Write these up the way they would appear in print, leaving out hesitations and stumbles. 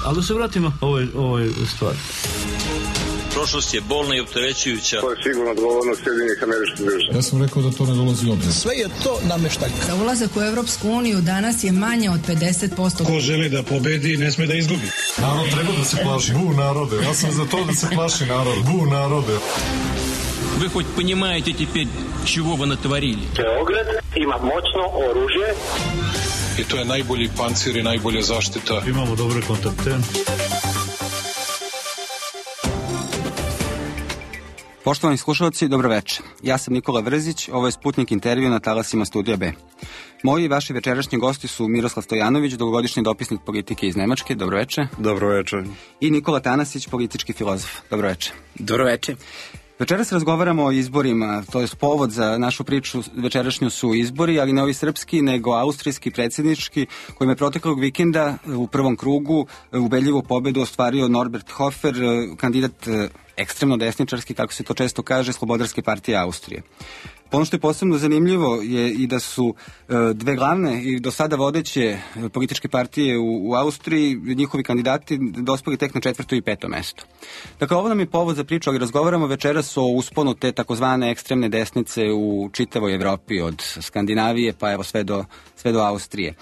Ali da se vratimo ovoj stvari. Prošlost je bolna i opterećujuća. To je sigurno odgovornost Sjedinjenih Američkih Država. Ja sam rekao da to ne dolazi u obzir. Sve je to namještaj. Za ulazak u Europsku uniju danas je manje od 50%. Ko želi da pobedi, ne sme da izgubi. Narod treba da se plaši. Bu narode. Ja sam za to da se plaši narod. Bu narode. Вы хоть понимаете теперь, чего вы натворили? Beograd ima moćno oružje. I to je najbolji pancir i najbolja zaštita. Imamo dobre kontakte. Poštovani slušalci, dobro večer. Ja sam Nikola Vrzić, ovo je Sputnik intervju na talasima Studija B. Moji i vaši večerašnji gosti su Miroslav Stojanović, dugogodišnji dopisnik politike iz Nemačke, dobro večer. Dobro večer. I Nikola Tanasić, politički filozof, dobro večer. Dobro večer. Večeras razgovaramo o izborima, to je povod za našu priču večerašnju su izbori, ali ne ovi srpski, nego austrijski, predsjednički, kojim je proteklog vikenda u prvom krugu ubedljivu pobedu ostvario Norbert Hofer, kandidat ekstremno desničarski, kako se to često kaže, Slobodarske partije Austrije. Ono što je posebno zanimljivo je i da su dve glavne i do sada vodeće političke partije u Austriji, njihovi kandidati dospeli tek na 4. i 5. mesto. Dakle, ovo nam je povod za priču, ali razgovaramo večeras o usponu te takozvane ekstremne desnice u čitavoj Evropi, od Skandinavije pa evo sve do Austrije.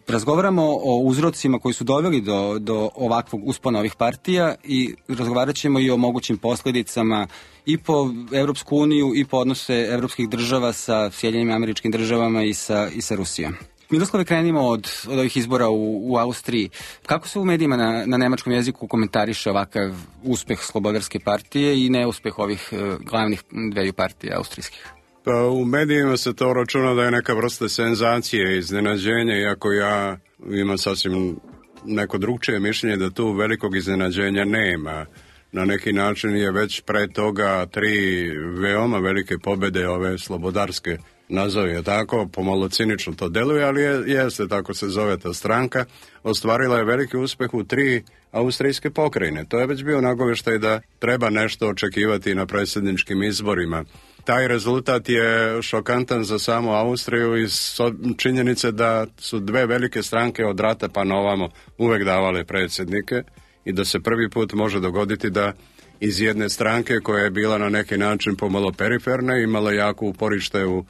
Razgovaramo o uzrocima koji su doveli do ovakvog uspona ovih partija i razgovarat ćemo i o mogućim posljedicama i po Evropsku uniju i po odnose evropskih država sa Sjedinjenim Američkim Državama i sa Rusijom. Miroslave, krenimo od ovih izbora u Austriji. Kako se u medijima na nemačkom jeziku komentariše ovakav uspeh Slobodarske partije i neuspeh ovih glavnih dveju partija austrijskih? Pa u medijima se to računa da je neka vrsta senzacije i iznenađenja, iako ja imam sasvim neko drugčije mišljenje da tu velikog iznenađenja nema. Na neki način je već pre toga 3 veoma velike pobjede ove slobodarske, nazove tako, pomalo cinično to deluje, ali jeste, tako se zove ta stranka, ostvarila je veliki uspeh u 3 austrijske pokrajine. To je već bio nagoveštaj da treba nešto očekivati na predsjedničkim izborima. Taj rezultat je šokantan za samu Austriju iz činjenice da su 2 velike stranke od rata pa na ovamo uvek davale predsjednike i da se prvi put može dogoditi da iz jedne stranke koja je bila na neki način pomalo periferna, imala jako uporište u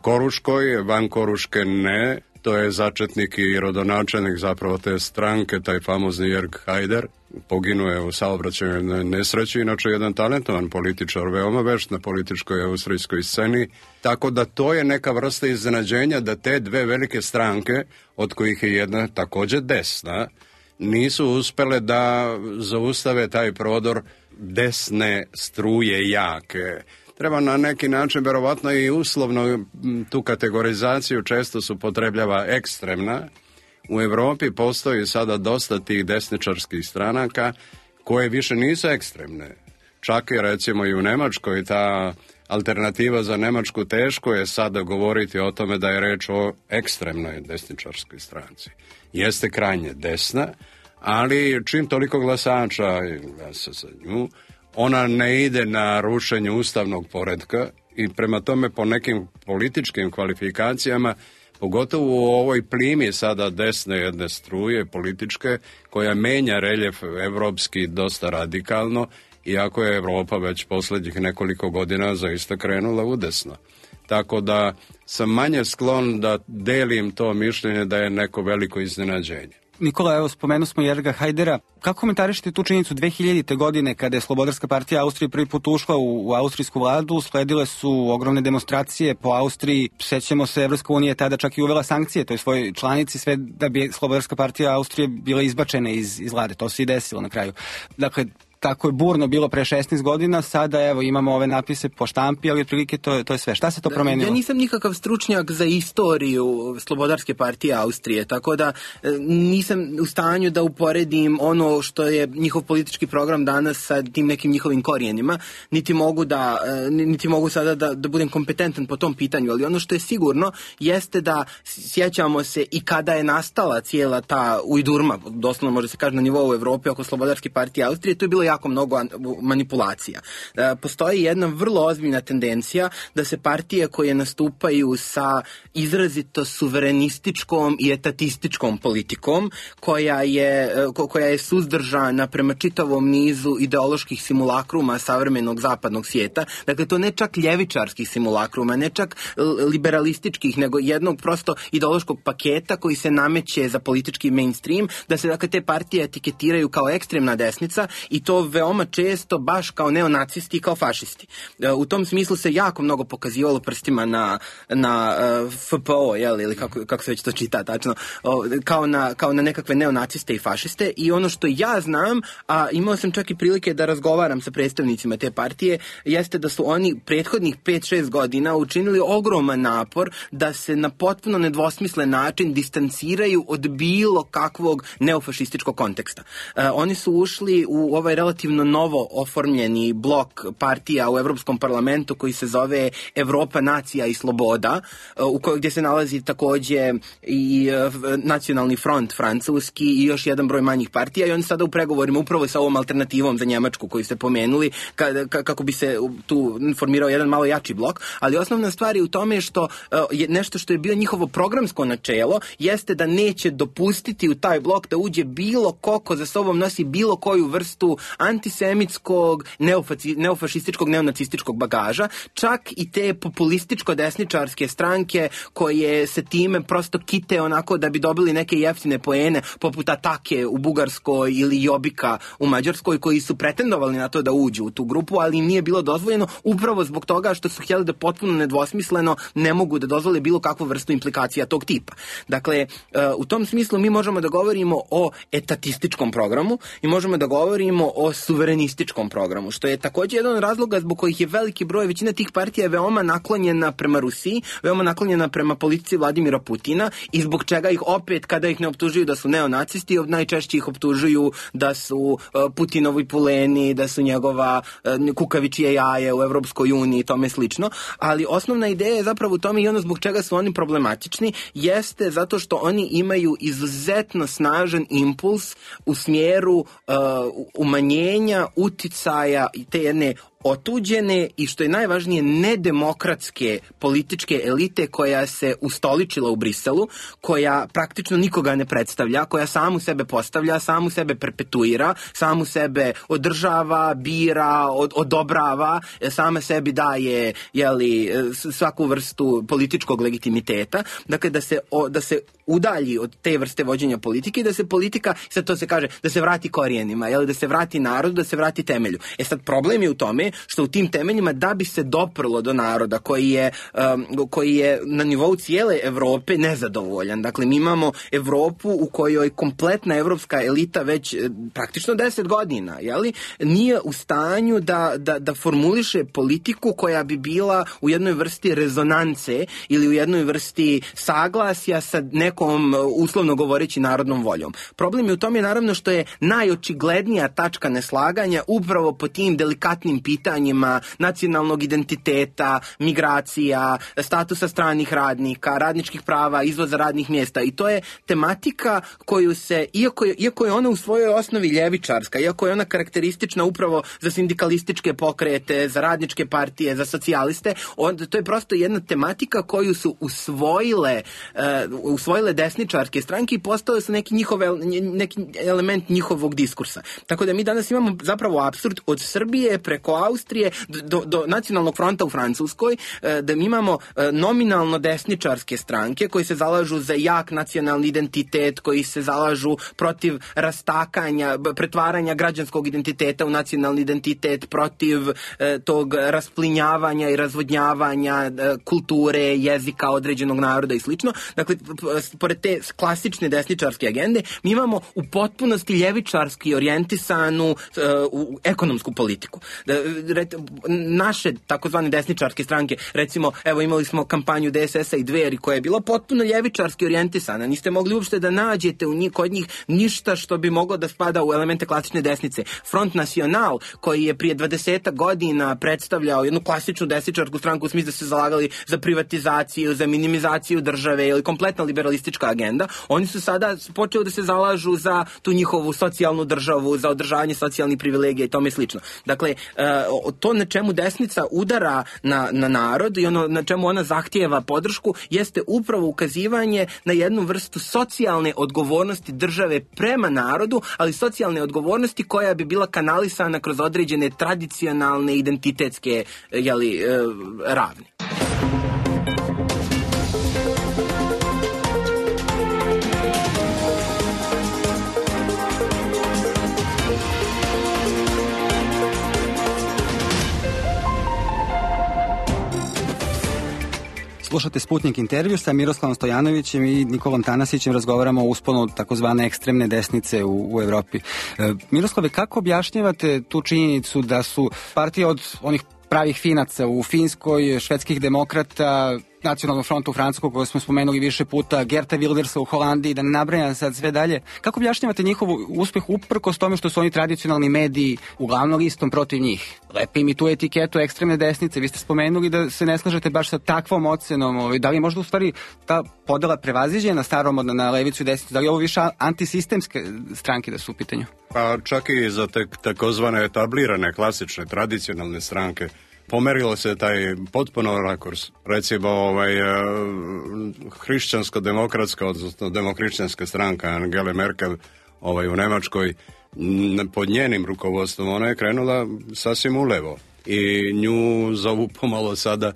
Koruškoj, van Koruške ne, to je začetnik i rodonačelnik zapravo te stranke, taj famozni Jörg Haider, poginuo je u saobraćajnoj nesreći, inače jedan talentovan političar, veoma vešt na političkoj austrijskoj sceni, tako da to je neka vrsta iznenađenja da te 2 velike stranke, od kojih je jedna također desna, nisu uspele da zaustave taj prodor desne struje jake. Treba na neki način, verovatno i uslovno, tu kategorizaciju često se upotrebljava ekstremna. U Europi postoji sada dosta tih desničarskih stranaka koje više nisu ekstremne. Čak i recimo i u Nemačkoj ta alternativa za Nemačku teško je sada govoriti o tome da je reč o ekstremnoj desničarskoj stranci. Jeste krajnje desna, ali čim toliko glasača glasa za nju, ona ne ide na rušenje ustavnog poretka i prema tome po nekim političkim kvalifikacijama, pogotovo u ovoj plimi sada desne jedne struje političke, koja menja reljef evropski dosta radikalno, iako je Evropa već posljednjih nekoliko godina zaista krenula udesno. Tako da sam manje sklon da delim to mišljenje da je neko veliko iznenađenje. Nikola, evo, spomenuo smo Jörga Haidera. Kako komentarišete tu činjenicu 2000. godine kada je Slobodarska partija Austrije prvi put ušla u austrijsku vladu, sledile su ogromne demonstracije po Austriji, sećamo se, Evropska unija je tada čak i uvela sankcije toj svojoj članici, sve da bi Slobodarska partija Austrije bila izbačena iz vlade. To se i desilo na kraju. Dakle, tako je burno bilo pre 16 godina, sada evo imamo ove napise po štampi, ali otprilike to je sve. Šta se to promenilo? Ja nisam nikakav stručnjak za istoriju Slobodarske partije Austrije, tako da nisam u stanju da uporedim ono što je njihov politički program danas sa tim nekim njihovim korijenima, niti mogu sada da budem kompetentan po tom pitanju, ali ono što je sigurno jeste da sjećamo se i kada je nastala cijela ta ujdurma, doslovno može se kaže na nivou Evrope oko Slobodarske partije Austrije, to je bilo jako jako mnogo manipulacija. Postoji jedna vrlo ozbiljna tendencija da se partije koje nastupaju sa izrazito suverenističkom i etatističkom politikom, koja je suzdržana prema čitavom nizu ideoloških simulakruma savremenog zapadnog svijeta. Dakle, to ne čak ljevičarskih simulakruma, ne čak liberalističkih, nego jednog prosto ideološkog paketa koji se nameće za politički mainstream, da se dakle te partije etiketiraju kao ekstremna desnica i to veoma često baš kao neonacisti i kao fašisti. U tom smislu se jako mnogo pokazivalo prstima na FPO, ili kako se već to čita tačno, kao na nekakve neonaciste i fašiste, i ono što ja znam, a imao sam čak i prilike da razgovaram sa predstavnicima te partije, jeste da su oni prethodnih 5-6 godina učinili ogroman napor da se na potpuno nedvosmislen način distanciraju od bilo kakvog neofašističkog konteksta. Oni su ušli u ovaj relativno novo oformljeni blok partija u Evropskom parlamentu koji se zove Evropa, nacija i sloboda, gdje se nalazi takođe i Nacionalni front francuski i još jedan broj manjih partija, i oni sada u pregovorima upravo sa ovom alternativom za Njemačku koju ste pomenuli, kako bi se tu formirao jedan malo jači blok, ali osnovna stvar je u tome što je nešto što je bio njihovo programsko načelo, jeste da neće dopustiti u taj blok da uđe bilo ko za sobom nosi bilo koju vrstu antisemitskog, neofašističkog, neonacističkog bagaža, čak i te populističko-desničarske stranke koje se time prosto kite onako da bi dobili neke jeftine poene, poput Atake u Bugarskoj ili Jobika u Mađarskoj, koji su pretendovali na to da uđu u tu grupu, ali im nije bilo dozvoljeno upravo zbog toga što su htjeli da potpuno nedvosmisleno ne mogu da dozvole bilo kakvu vrstu implikacija tog tipa. Dakle, u tom smislu mi možemo da govorimo o etatističkom programu i možemo da govorimo o suverenističkom programu, što je također jedan od razloga zbog kojih je veliki broj, većina tih partija je veoma naklonjena prema Rusiji, veoma naklonjena prema politici Vladimira Putina, i zbog čega ih opet, kada ih ne optužuju da su neonacisti, najčešće ih optužuju da su Putinovi puleni, da su njegova kukavičije jaje u Evropskoj uniji i tome slično, ali osnovna ideja je zapravo u tome, i ono zbog čega su oni problematični, jeste zato što oni imaju izuzetno snažan impuls u smjeru umanjenja uticaja te jedne otuđene i, što je najvažnije, nedemokratske političke elite koja se ustoličila u Briselu, koja praktično nikoga ne predstavlja, koja samu sebe postavlja, samu sebe perpetuira, samu sebe održava, bira, odobrava, sama sebi daje svaku vrstu političkog legitimiteta. Dakle, da se udalji od te vrste vođenja politike i da se politika, sad to se kaže, da se vrati korijenima, da se vrati narodu, da se vrati temelju. Sad, problem je u tome što u tim temeljima, da bi se doprlo do naroda koji je na nivou cijele Evrope nezadovoljan. Dakle, mi imamo Evropu u kojoj kompletna evropska elita već praktično 10 godina, nije u stanju da formuliše politiku koja bi bila u jednoj vrsti rezonance ili u jednoj vrsti saglasja sa nekom, uslovno govoreći, narodnom voljom. Problem je u tome, naravno, što je najočiglednija tačka neslaganja upravo po tim delikatnim pitanjima nacionalnog identiteta, migracija, statusa stranih radnika, radničkih prava, izvoza radnih mjesta, i to je tematika koju se, iako je ona u svojoj osnovi ljevičarska, iako je ona karakteristična upravo za sindikalističke pokrete, za radničke partije, za socijaliste, to je prosto jedna tematika koju su usvojile desničarske stranke i postale su neki element njihovog diskursa. Tako da mi danas imamo zapravo apsurd od Srbije preko Austrije do Nacionalnog fronta u Francuskoj, da mi imamo nominalno desničarske stranke koji se zalažu za jak nacionalni identitet, koji se zalažu protiv rastakanja, pretvaranja građanskog identiteta u nacionalni identitet, protiv tog rasplinjavanja i razvodnjavanja kulture, jezika određenog naroda i slično. Dakle, pored te klasične desničarske agende, mi imamo u potpunosti ljevičarski orijentisanu ekonomsku politiku. naše takozvane desničarske stranke, recimo, evo imali smo kampanju DSS-a i Dveri koja je bila potpuno ljevičarski orijentisana, niste mogli uopšte da nađete kod njih ništa što bi moglo da spada u elemente klasične desnice. Front National, koji je prije 20 godina predstavljao jednu klasičnu desničarsku stranku u smislu da se zalagali za privatizaciju, za minimizaciju države ili kompletna liberalistička agenda, oni su sada počeli da se zalažu za tu njihovu socijalnu državu, za održavanje socijalnih privilegija i tome slično. Dakle, to na čemu desnica udara na narod i ono na čemu ona zahtijeva podršku jeste upravo ukazivanje na jednu vrstu socijalne odgovornosti države prema narodu, ali socijalne odgovornosti koja bi bila kanalisana kroz određene tradicionalne identitetske ravni. Slušate Sputnik intervju sa Miroslavom Stojanovićem i Nikolom Tanasićem, razgovaramo o usponu takozvane ekstremne desnice u Evropi. Miroslave, kako objašnjavate tu činjenicu da su partije od onih pravih finaca u Finskoj, švedskih demokrata, Nacionalnog fronta u Francuskoj, koju smo spomenuli više puta, Geerta Wildersa u Holandiji, da ne nabrajam sad sve dalje. Kako objašnjavate njihov uspeh uprkos tome što su oni tradicionalni mediji uglavnom listom protiv njih? Lepe im i tu etiketu ekstremne desnice. Vi ste spomenuli da se ne slažete baš sa takvom ocenom. Da li je možda u stvari ta podela prevaziđena starom na levicu i desnicu? Da li je ovo više antisistemske stranke da su u pitanju? Pa čak i za takozvane etablirane, klasične, tradicionalne stranke pomerilo se taj potpuno rakurs. Recimo hrišćansko-demokratska, odnosno demohrišćanska stranka Angele Merkel u Nemačkoj, pod njenim rukovodstvom ona je krenula sasvim ulevo i nju zovu pomalo sada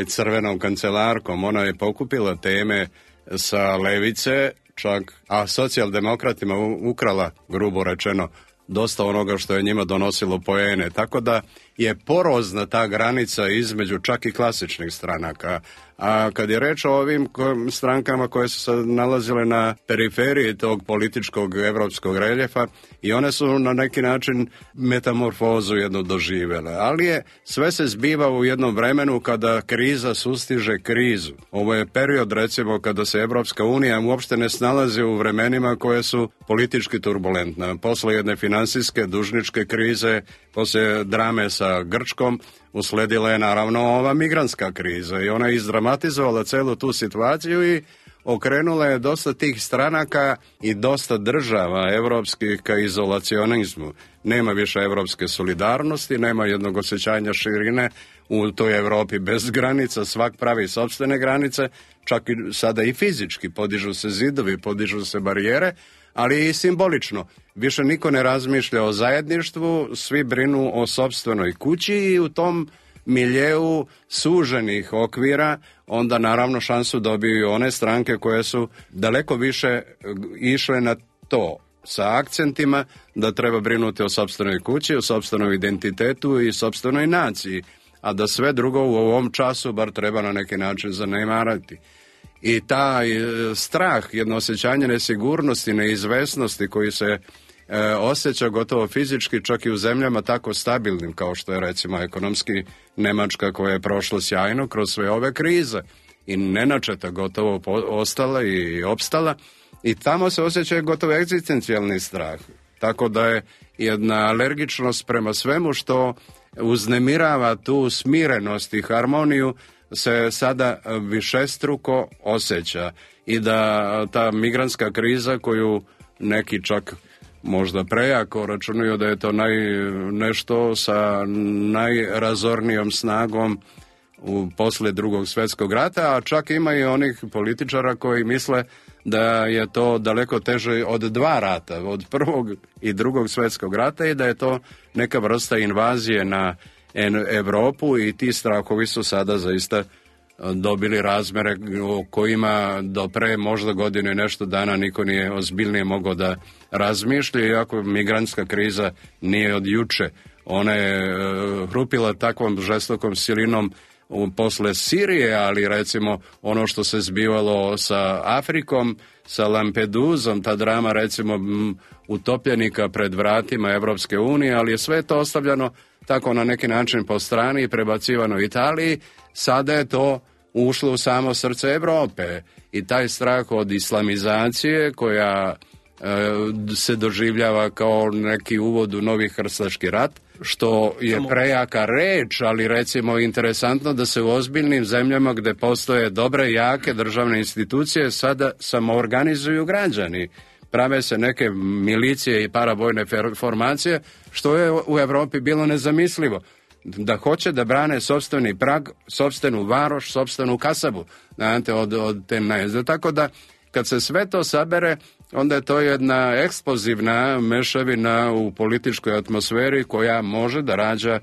crvenom kancelarkom. Ona je pokupila teme sa levice, čak, a socijaldemokratima ukrala, grubo rečeno, dosta onoga što je njima donosilo poene. Tako da je porozna ta granica između čak i klasičnih stranaka. A kad je reč o ovim strankama koje su se nalazile na periferiji tog političkog evropskog reljefa, i one su na neki način metamorfozu jedno doživjele. Ali sve se zbiva u jednom vremenu kada kriza sustiže krizu. Ovo je period, recimo, kada se Evropska unija uopšte ne snalazi u vremenima koje su politički turbulentne. Posle jedne finansijske, dužničke krize, posle drame sa Grčkom, usledila je naravno ova migrantska kriza i ona je izdramatizovala celu tu situaciju i okrenula je dosta tih stranaka i dosta država evropskih ka izolacionizmu. Nema više evropske solidarnosti, nema jednog osjećanja širine u toj Evropi bez granica, svak pravi sopstvene granice, čak i sada i fizički, podižu se zidovi, podižu se barijere, ali i simbolično. Više niko ne razmišlja o zajedništvu, svi brinu o sopstvenoj kući i u tom miljeu suženih okvira onda naravno šansu dobiju one stranke koje su daleko više išle na to, sa akcentima da treba brinuti o sopstvenoj kući, o sopstvenom identitetu i sopstvenoj naciji, a da sve drugo u ovom času bar treba na neki način zanemarati. I taj strah, jedno osjećanje nesigurnosti, neizvesnosti koji se osjeća gotovo fizički čak i u zemljama tako stabilnim kao što je recimo ekonomski Nemačka, koja je prošla sjajno kroz sve ove krize i nenačeta gotovo ostala i opstala, i tamo se osjeća gotovo egzistencijalni strah. Tako da je jedna alergičnost prema svemu što uznemirava tu smirenost i harmoniju se sada višestruko osjeća, i da ta migrantska kriza koju neki čak možda prejako računaju da je to nešto sa najrazornijom snagom posle Drugog svjetskog rata, a čak ima i onih političara koji misle da je to daleko teže od dva rata, od Prvog i Drugog svjetskog rata, i da je to neka vrsta invazije na Evropu, i ti strahovi su sada zaista dobili razmere o kojima do pre možda godine nešto dana niko nije ozbiljnije mogao da razmišlja, iako migrantska kriza nije od juče. Ona je hrupila takvom žestokom silinom posle Sirije, ali recimo ono što se zbivalo sa Afrikom, sa Lampeduzom, ta drama recimo utopljenika pred vratima Evropske unije, ali je sve to ostavljano tako na neki način po strani i prebacivano Italiji, sada je to ušlo u samo srce Europe i taj strah od islamizacije koja se doživljava kao neki uvod u novi krstaški rat, što je prejaka reč, ali recimo interesantno da se u ozbiljnim zemljama gde postoje dobre i jake državne institucije sada samoorganizuju građani. Prave se neke milicije i paravojne formacije, što je u Evropi bilo nezamislivo. Da hoće da brane sopstveni prag, sopstvenu varoš, sopstvenu kasabu od te najezde. Tako da kad se sve to sabere, onda je to jedna eksplozivna mešavina u političkoj atmosferi koja može da rađa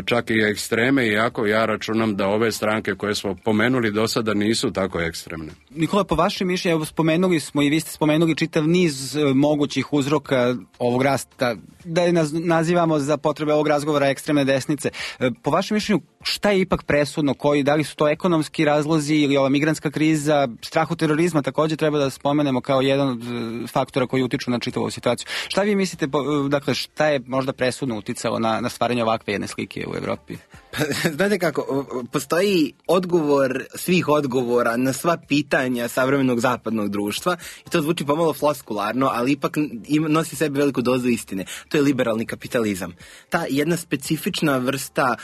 čak i ekstreme, iako ja računam da ove stranke koje smo pomenuli do sada nisu tako ekstremne. Nikola, po vašem mišljenju, spomenuli smo i vi ste spomenuli čitav niz mogućih uzroka ovog rasta, da je nazivamo za potrebe ovog razgovora ekstremne desnice. Po vašem mišljenju, šta je ipak presudno? Da li su to ekonomski razlozi ili ova migrantska kriza, strah od terorizma također treba da spomenemo kao jedan od faktora koji utiču na čitavu situaciju. Šta vi mislite, dakle, šta je možda presudno uticalo na stvaranje ovakve jedne slike u Evropi? Znate kako, postoji odgovor svih odgovora na sva pitanja savremenog zapadnog društva i to zvuči pomalo floskularno, ali ipak nosi sebi veliku dozu istine. To je liberalni kapitalizam. Ta jedna specifična vrsta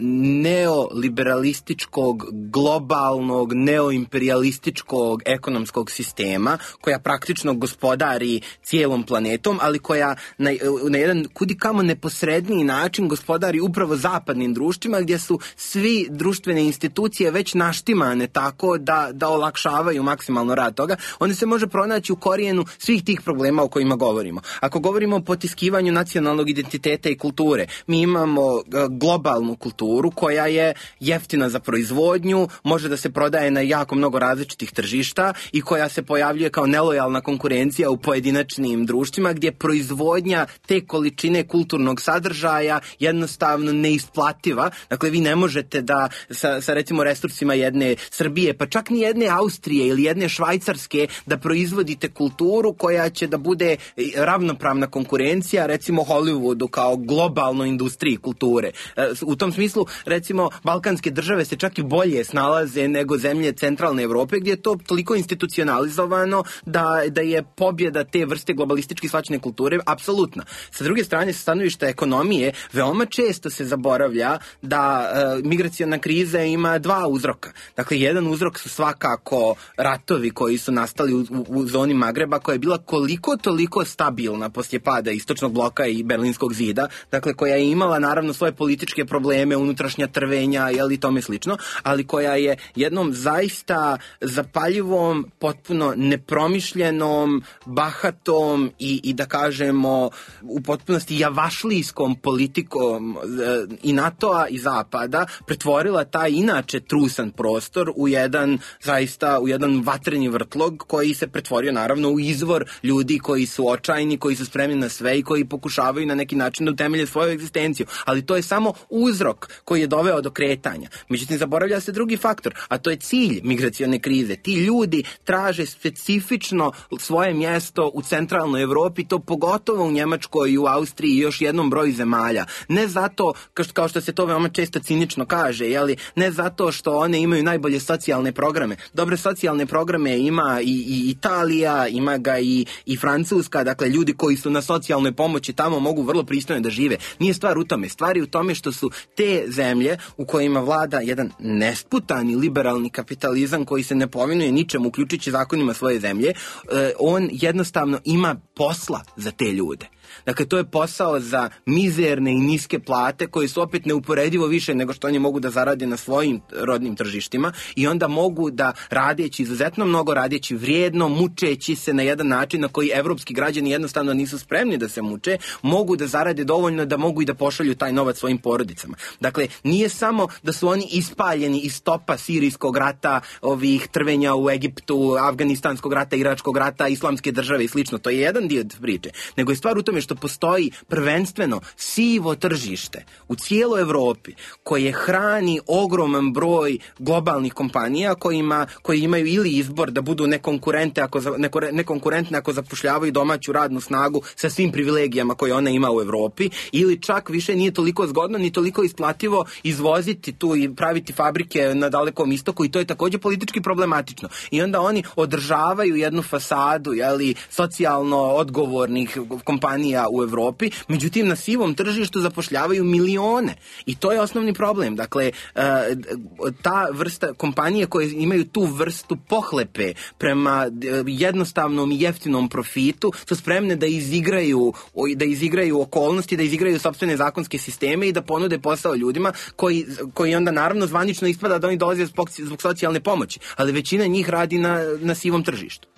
neoliberalističkog, globalnog, neoimperialističkog ekonomskog sistema koja praktično gospodari cijelom planetom, ali koja na jedan kudikamo neposredniji način gospodari upravo zapadnim društvima gdje su svi društvene institucije već naštimane tako da olakšavaju maksimalno rad toga. Onda se može pronaći u korijenu svih tih problema o kojima govorimo. Ako govorimo o potiskivanju nacionalnog identiteta i kulture, mi imamo globalnu kulturu koja je jeftina za proizvodnju, može da se prodaje na jako mnogo različitih tržišta i koja se pojavljuje kao nelojalna konkurencija u pojedinačnim društvima gdje proizvodnja te količine kulturnog sadržaja jednostavno neisplativa. Dakle, vi ne možete da sa recimo resursima jedne Srbije, pa čak ni jedne Austrije ili jedne Švajcarske, da proizvodite kulturu koja će da bude ravnopravna konkurencija recimo Hollywoodu kao globalnoj industriji kulture. U tom smislu, recimo, balkanske države se čak i bolje snalaze nego zemlje centralne Evrope, gdje je to toliko institucionalizovano da je pobjeda te vrste globalistički shvaćene kulture apsolutna. Sa druge strane, sa stanovišta ekonomije, veoma često se zaboravlja da migraciona kriza ima dva uzroka. Dakle, jedan uzrok su svakako ratovi koji su nastali u zoni Magreba, koja je bila koliko toliko stabilna poslije pada istočnog bloka i Berlinskog zida, dakle koja je imala naravno svoje političke probleme, unutrašnja trvenja i tome slično, ali koja je jednom zaista zapaljivom, potpuno nepromišljenom, bahatom i da kažemo u potpunosti javašlijskom politikom i NATO-a i Zapada pretvorila taj inače trusan prostor u jedan vatreni vrtlog koji se pretvorio naravno u izvor ljudi koji su očajni, koji su spremni na sve i koji pokušavaju na neki način da utemelje svoju egzistenciju. Ali to je samo uzrok koji je doveo do kretanja. Međutim, zaboravlja se drugi faktor, a to je cilj migracione krize. Ti ljudi traže specifično svoje mjesto u centralnoj Evropi, to pogotovo u Njemačkoj i u Austriji i još jednom broju zemalja. Ne zato, kao što se to veoma često cinično kaže, ne zato što one imaju najbolje socijalne programe. Dobre socijalne programe ima i Italija, ima ga i Francuska, dakle ljudi koji su na socijalnoj pomoći tamo mogu vrlo pristojno da žive. Nije stvar u tome. Stvar je u tome što su te zemlje u kojima vlada jedan nesputani liberalni kapitalizam koji se ne povinuje ničemu, uključujući zakonima svoje zemlje, on jednostavno ima posla za te ljude. Dakle, to je posao za mizerne i niske plate koje su opet neuporedivo više nego što oni mogu da zarade na svojim rodnim tržištima i onda mogu da radeći izuzetno mnogo, radeći vrijedno, mučeći se na jedan način na koji evropski građani jednostavno nisu spremni da se muče, mogu da zarade dovoljno da mogu i da pošalju taj novac svojim porodicama. Dakle, nije samo da su oni ispaljeni iz topa sirijskog rata, ovih trvenja u Egiptu, afganistanskog rata, iračkog rata, islamske države i slično. To je jedan dio priče. Nego je stvar u tome tome što postoji prvenstveno sivo tržište u cijeloj Evropi koje hrani ogroman broj globalnih kompanija koji imaju ili izbor da budu nekonkurentne ako zapošljavaju domaću radnu snagu sa svim privilegijama koje ona ima u Evropi, ili čak više nije toliko zgodno ni toliko isplativo izvoziti tu i praviti fabrike na Dalekom istoku, i to je također politički problematično. I onda oni održavaju jednu fasadu socijalno odgovornih kompanija u Evropi, međutim na sivom tržištu zapošljavaju milione. I to je osnovni problem. Dakle, ta vrsta kompanije koje imaju tu vrstu pohlepe prema jednostavnom i jeftinom profitu su spremne da izigraju okolnosti, da izigraju sopstvene zakonske sisteme i da ponude posao ljudima koji onda naravno zvanično ispada da oni dolaze zbog socijalne pomoći, ali većina njih radi na sivom tržištu.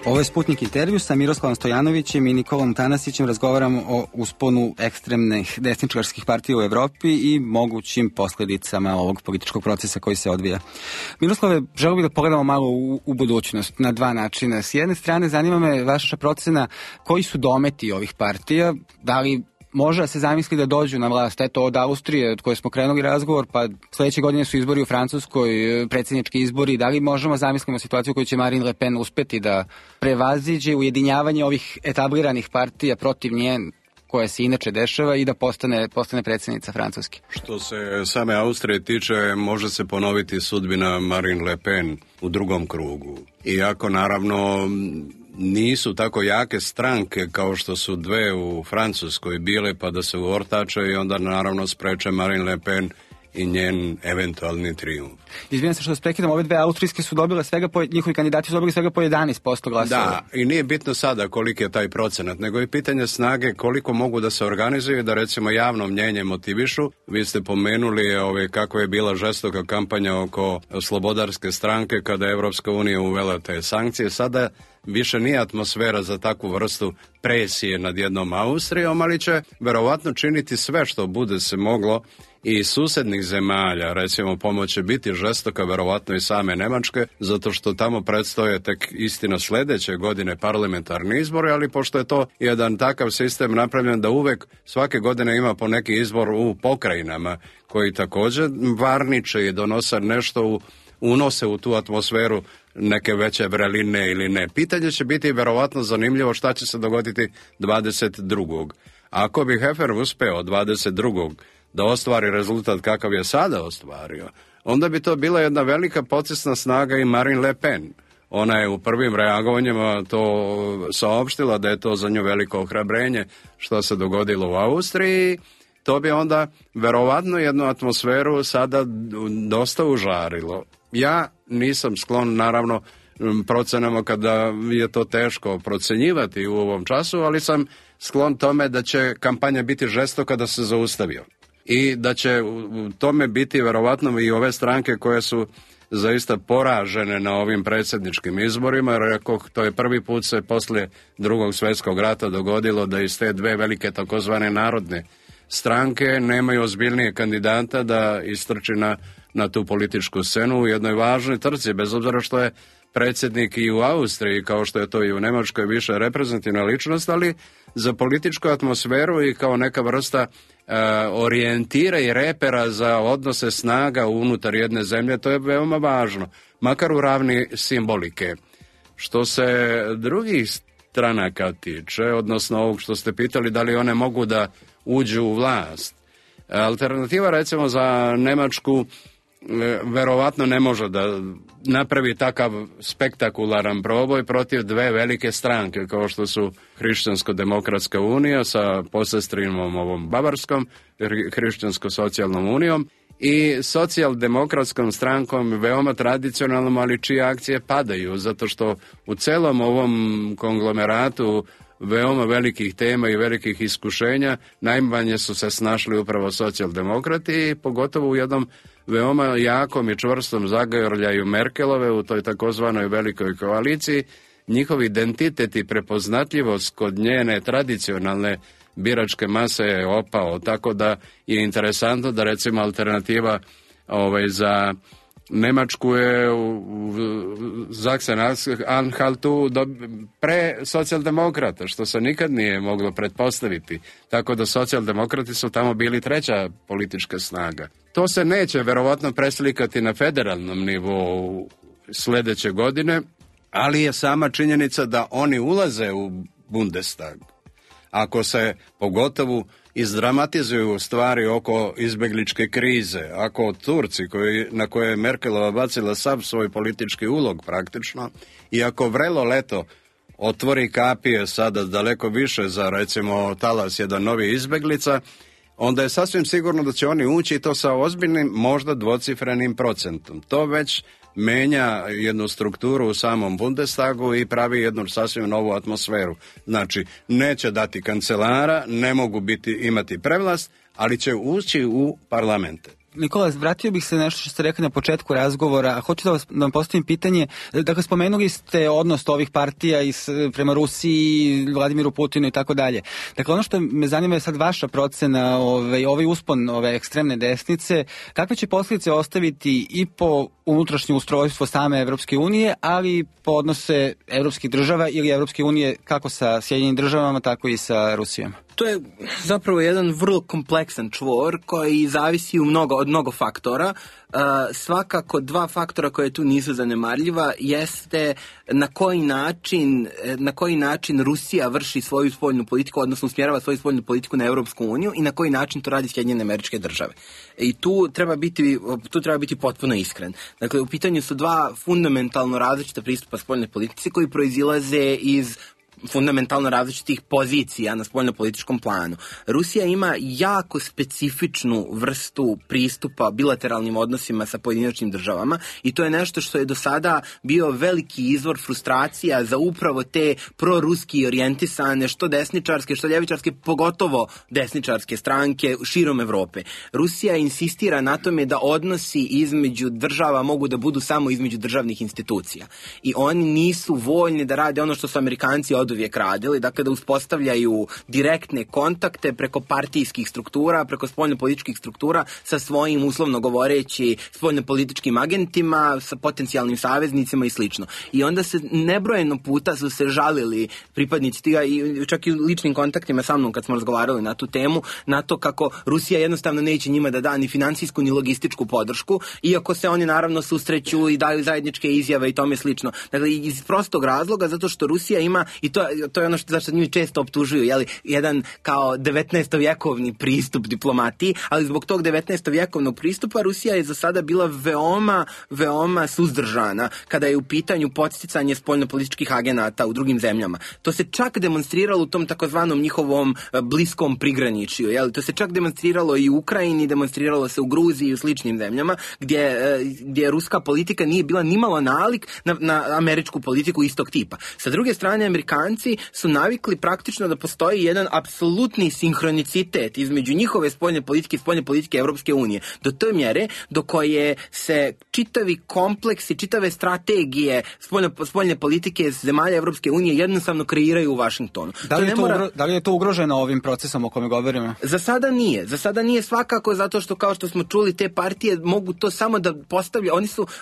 Ovo je Sputnik intervju sa Miroslavom Stojanovićem i Nikolom Tanasićem. Razgovaramo o usponu ekstremnih desničarskih partija u Evropi i mogućim posljedicama ovog političkog procesa koji se odvija. Miroslave, želio bih da pogledamo malo u budućnost na dva načina. S jedne strane, zanima me vaša procena koji su dometi ovih partija, da li može da se zamisli da dođu na vlast, eto od Austrije, od koje smo krenuli razgovor, pa sledeće godine su izbori u Francuskoj, predsjednički izbori, da li možemo zamislimo situaciju koju će Marine Le Pen uspeti da prevaziđe ujedinjavanje ovih etabliranih partija protiv nje, koja se inače dešava, i da postane predsjednica Francuske? Što se same Austrije tiče, može se ponoviti sudbina Marine Le Pen u drugom krugu. Iako naravno nisu tako jake stranke kao što su dve u Francuskoj bile, pa da se uortače i onda naravno spreče Marine Le Pen i njen eventualni trijumf. Izvijem se što vas prekidam, ove dve austrijske su dobile njihovi kandidati su dobili svega po 11% glasova. Da, i nije bitno sada koliki je taj procenat, nego je pitanje snage koliko mogu da se organizuju, da recimo javno mnjenje motivišu. Vi ste pomenuli kako je bila žestoka kampanja oko slobodarske stranke kada je Evropska unija uvela te sankcije. Sada više nije atmosfera za takvu vrstu presije nad jednom Austrijom, ali će verovatno činiti sve što bude se moglo i susednih zemalja, recimo pomoć će biti žestoka, verovatno i same Nemačke, zato što tamo predstoje tek istina sledeće godine parlamentarni izbori, ali pošto je to jedan takav sistem napravljen da uvek svake godine ima po neki izbor u pokrajinama, koji također varniče i donose nešto, unose u tu atmosferu neke veće vreline ili ne. Pitanje će biti verovatno zanimljivo šta će se dogoditi 22. Ako bi Hefer uspeo 22. da ostvari rezultat kakav je sada ostvario, onda bi to bila jedna velika podsjetna snaga i Marine Le Pen. Ona je u prvim reagovanjima to saopštila da je to za nju veliko ohrabrenje što se dogodilo u Austriji. To bi onda verovatno jednu atmosferu sada dosta užarilo. Ja nisam sklon, naravno, procenama kada je to teško procenjivati u ovom času, ali sam sklon tome da će kampanja biti žestoka da se zaustavio. I da će u tome biti verovatno i ove stranke koje su zaista poražene na ovim predsjedničkim izborima, jer to je prvi put se poslije Drugog svjetskog rata dogodilo da iz te dve velike takozvane narodne stranke nemaju ozbiljnije kandidata da istrči na tu političku scenu u jednoj važnoj trci, bez obzira što je predsjednik i u Austriji, kao što je to i u Nemačkoj, više reprezentativna ličnost, ali za političku atmosferu i kao neka vrsta orijentira i repera za odnose snaga unutar jedne zemlje, to je veoma važno, makar u ravni simbolike. Što se drugih stranaka tiče, odnosno ovog što ste pitali, da li one mogu da uđu u vlast, alternativa recimo za Nemačku verovatno ne može da napravi takav spektakularan proboj protiv dve velike stranke kao što su Hrišćansko-demokratska unija sa posestrinom ovom Bavarskom, Hrišćansko-socijalnom unijom, i socijaldemokratskom strankom, veoma tradicionalnom, ali čije akcije padaju, zato što u celom ovom konglomeratu veoma velikih tema i velikih iskušenja najmanje su se snašli upravo socijaldemokrati, i pogotovo u jednom veoma jakom i čvrstom zagrljaju Merkelove u toj takozvanoj velikoj koaliciji. Njihov identitet i prepoznatljivost kod njene tradicionalne biračke mase je opao, tako da je interesantno da recimo alternativa za Nemačku je u Sachsen-Anhaltu pre socijaldemokrata, što se nikad nije moglo pretpostaviti. Tako da socijaldemokrati su tamo bili treća politička snaga. To se neće verovatno preslikati na federalnom nivou sledeće godine, ali je sama činjenica da oni ulaze u Bundestag. Ako se pogotovo izdramatizuju stvari oko izbegličke krize, ako Turci na koje je Merkelova bacila sav svoj politički ulog praktično, i ako vrelo leto otvori kapije sada daleko više za recimo talas jedan novi izbeglica, onda je sasvim sigurno da će oni ući i to sa ozbiljnim, možda dvocifrenim procentom. To već menja jednu strukturu u samom Bundestagu i pravi jednu sasvim novu atmosferu. Znači, neće dati kancelara, ne mogu imati prevlast, ali će ući u parlamente. Nikola, vratio bih se nešto što ste rekli na početku razgovora, a hoću da vam postavim pitanje. Dakle, spomenuli ste odnos ovih partija prema Rusiji, Vladimiru Putinu i tako dalje. Dakle, ono što me zanima je sad vaša procena, ovaj uspon ove ekstremne desnice, kakve će posljedice ostaviti i po unutrašnje ustrojstvo same Evropske unije, ali i po odnose evropskih država ili Evropske unije kako sa Sjedinjenim državama, tako i sa Rusijom? To je zapravo jedan vrlo kompleksan čvor koji zavisi od mnogo faktora. Svakako dva faktora koje tu nisu zanemarljiva jeste na koji način Rusija vrši svoju spoljnu politiku, odnosno usmjerava svoju spoljnu politiku na Europsku uniju i na koji način to radi Sjedinjene Američke Države. I tu treba biti potpuno iskren. Dakle, u pitanju su dva fundamentalno različita pristupa spoljnoj politici koji proizilaze iz fundamentalno različitih pozicija na spoljno-političkom planu. Rusija ima jako specifičnu vrstu pristupa bilateralnim odnosima sa pojedinačnim državama i to je nešto što je do sada bio veliki izvor frustracija za upravo te proruski orijentisane, što desničarske, što ljevičarske, pogotovo desničarske stranke širom Evrope. Rusija insistira na tome da odnosi između država mogu da budu samo između državnih institucija. I oni nisu voljni da rade ono što su Amerikanci oduvijek radili, dakle da uspostavljaju direktne kontakte preko partijskih struktura, preko spoljnopolitičkih struktura sa svojim, uslovno govoreći, spoljnopolitičkim agentima, sa potencijalnim saveznicima i slično. I onda se nebrojeno puta su se žalili pripadnici tiga i čak i u ličnim kontaktima sa mnom kad smo razgovarali na tu temu, na to kako Rusija jednostavno neće njima da da ni finansijsku ni logističku podršku, iako se oni naravno susreću i daju zajedničke izjave i tome slično. Dakle, iz prostog razloga, zato što Rusija ima, i to je ono zašto njih često optužuju, jedan kao 19-vjekovni pristup diplomatiji, ali zbog tog 19-vjekovnog pristupa Rusija je za sada bila veoma suzdržana kada je u pitanju podsticanje spoljnopolitičkih agenata u drugim zemljama. To se čak demonstriralo u tom takozvanom njihovom bliskom prigraničju, to se čak demonstriralo i u Ukrajini, demonstriralo se u Gruziji i u sličnim zemljama, gdje ruska politika nije bila nimalo nalik na američku politiku istog tipa. Sa druge strane, Amerikanci su navikli praktično da postoji jedan apsolutni sinhronicitet između njihove spoljne politike i spoljne politike Evropske unije. Do te mjere do koje se čitavi kompleksi, čitave strategije spoljne politike zemalja Evropske unije jednostavno kreiraju u Vašingtonu. Da li je to ugroženo ovim procesom o kome govorimo? Za sada nije. Za sada nije svakako zato što, kao što smo čuli, te partije mogu to samo da postavljaju.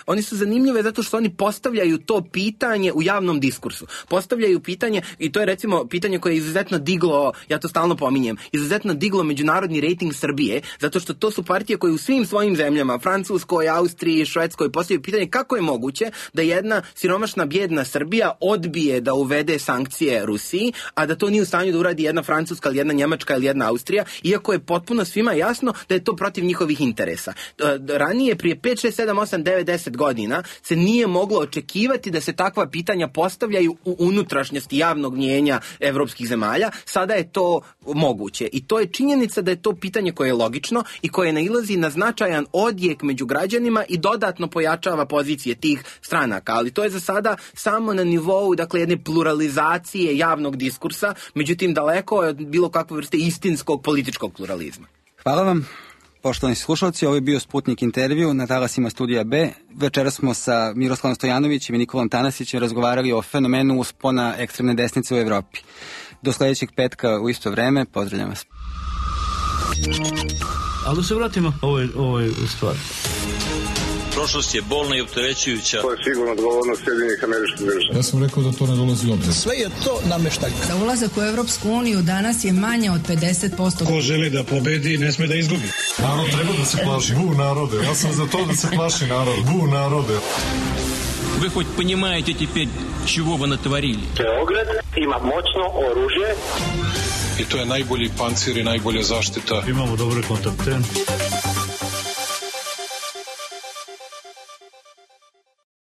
Oni su zanimljive zato što oni postavljaju to pitanje u javnom diskursu. Postavljaju pitanje, i to je recimo pitanje koje je izuzetno diglo, ja to stalno pominjem, izuzetno diglo međunarodni rejting Srbije, zato što to su partije koje u svim svojim zemljama, Francuskoj, Austriji, Švedskoj, postavljaju pitanje kako je moguće da jedna siromašna bijedna Srbija odbije da uvede sankcije Rusiji, a da to nije u stanju da uradi jedna Francuska ili jedna Njemačka ili jedna Austrija, iako je potpuno svima jasno da je to protiv njihovih interesa. Ranije, prije 5, 6, 7, 8, 9, 10 godina se nije moglo očekivati da se takva pitanja postavljaju u unutrašnjosti javnog mnjenja evropskih zemalja. Sada je to moguće i to je činjenica da je to pitanje koje je logično i koje nailazi na značajan odjek među građanima i dodatno pojačava pozicije tih stranaka, ali to je za sada samo na nivou, dakle, jedne pluralizacije javnog diskursa, međutim daleko od bilo kakve vrste istinskog političkog pluralizma. Hvala vam. Poštovani slušalci, ovo je bio Sputnik intervju na talasima Studija B. Večera smo sa Miroslavom Stojanovićem i Nikolom Tanasićem razgovarali o fenomenu uspona ekstremne desnice u Evropi. Do sledećeg petka u isto vreme, pozdravljam vas. Ali da se vratimo ovoj stvari. Prošlost je bolna i opterećujuća. To je sigurno odgovornost Sjedinjenih Američkih Država. Ja sam rekao da to ne dolazi u obzir. Sve je to nameštaljka. Za ulazak u Evropsku uniju danas je manje od 50%. Ko želi da pobedi, ne sme da izgubi. Narod treba da se plaši. Bu narode. Ja sam za to da se plaši narod. Bu narode. Вы хоть понимаете теперь, чего вы натворили? Beograd ima moćno oružje. I to je najbolji pancir i najbolja zaštita. Imamo dobre kontakte.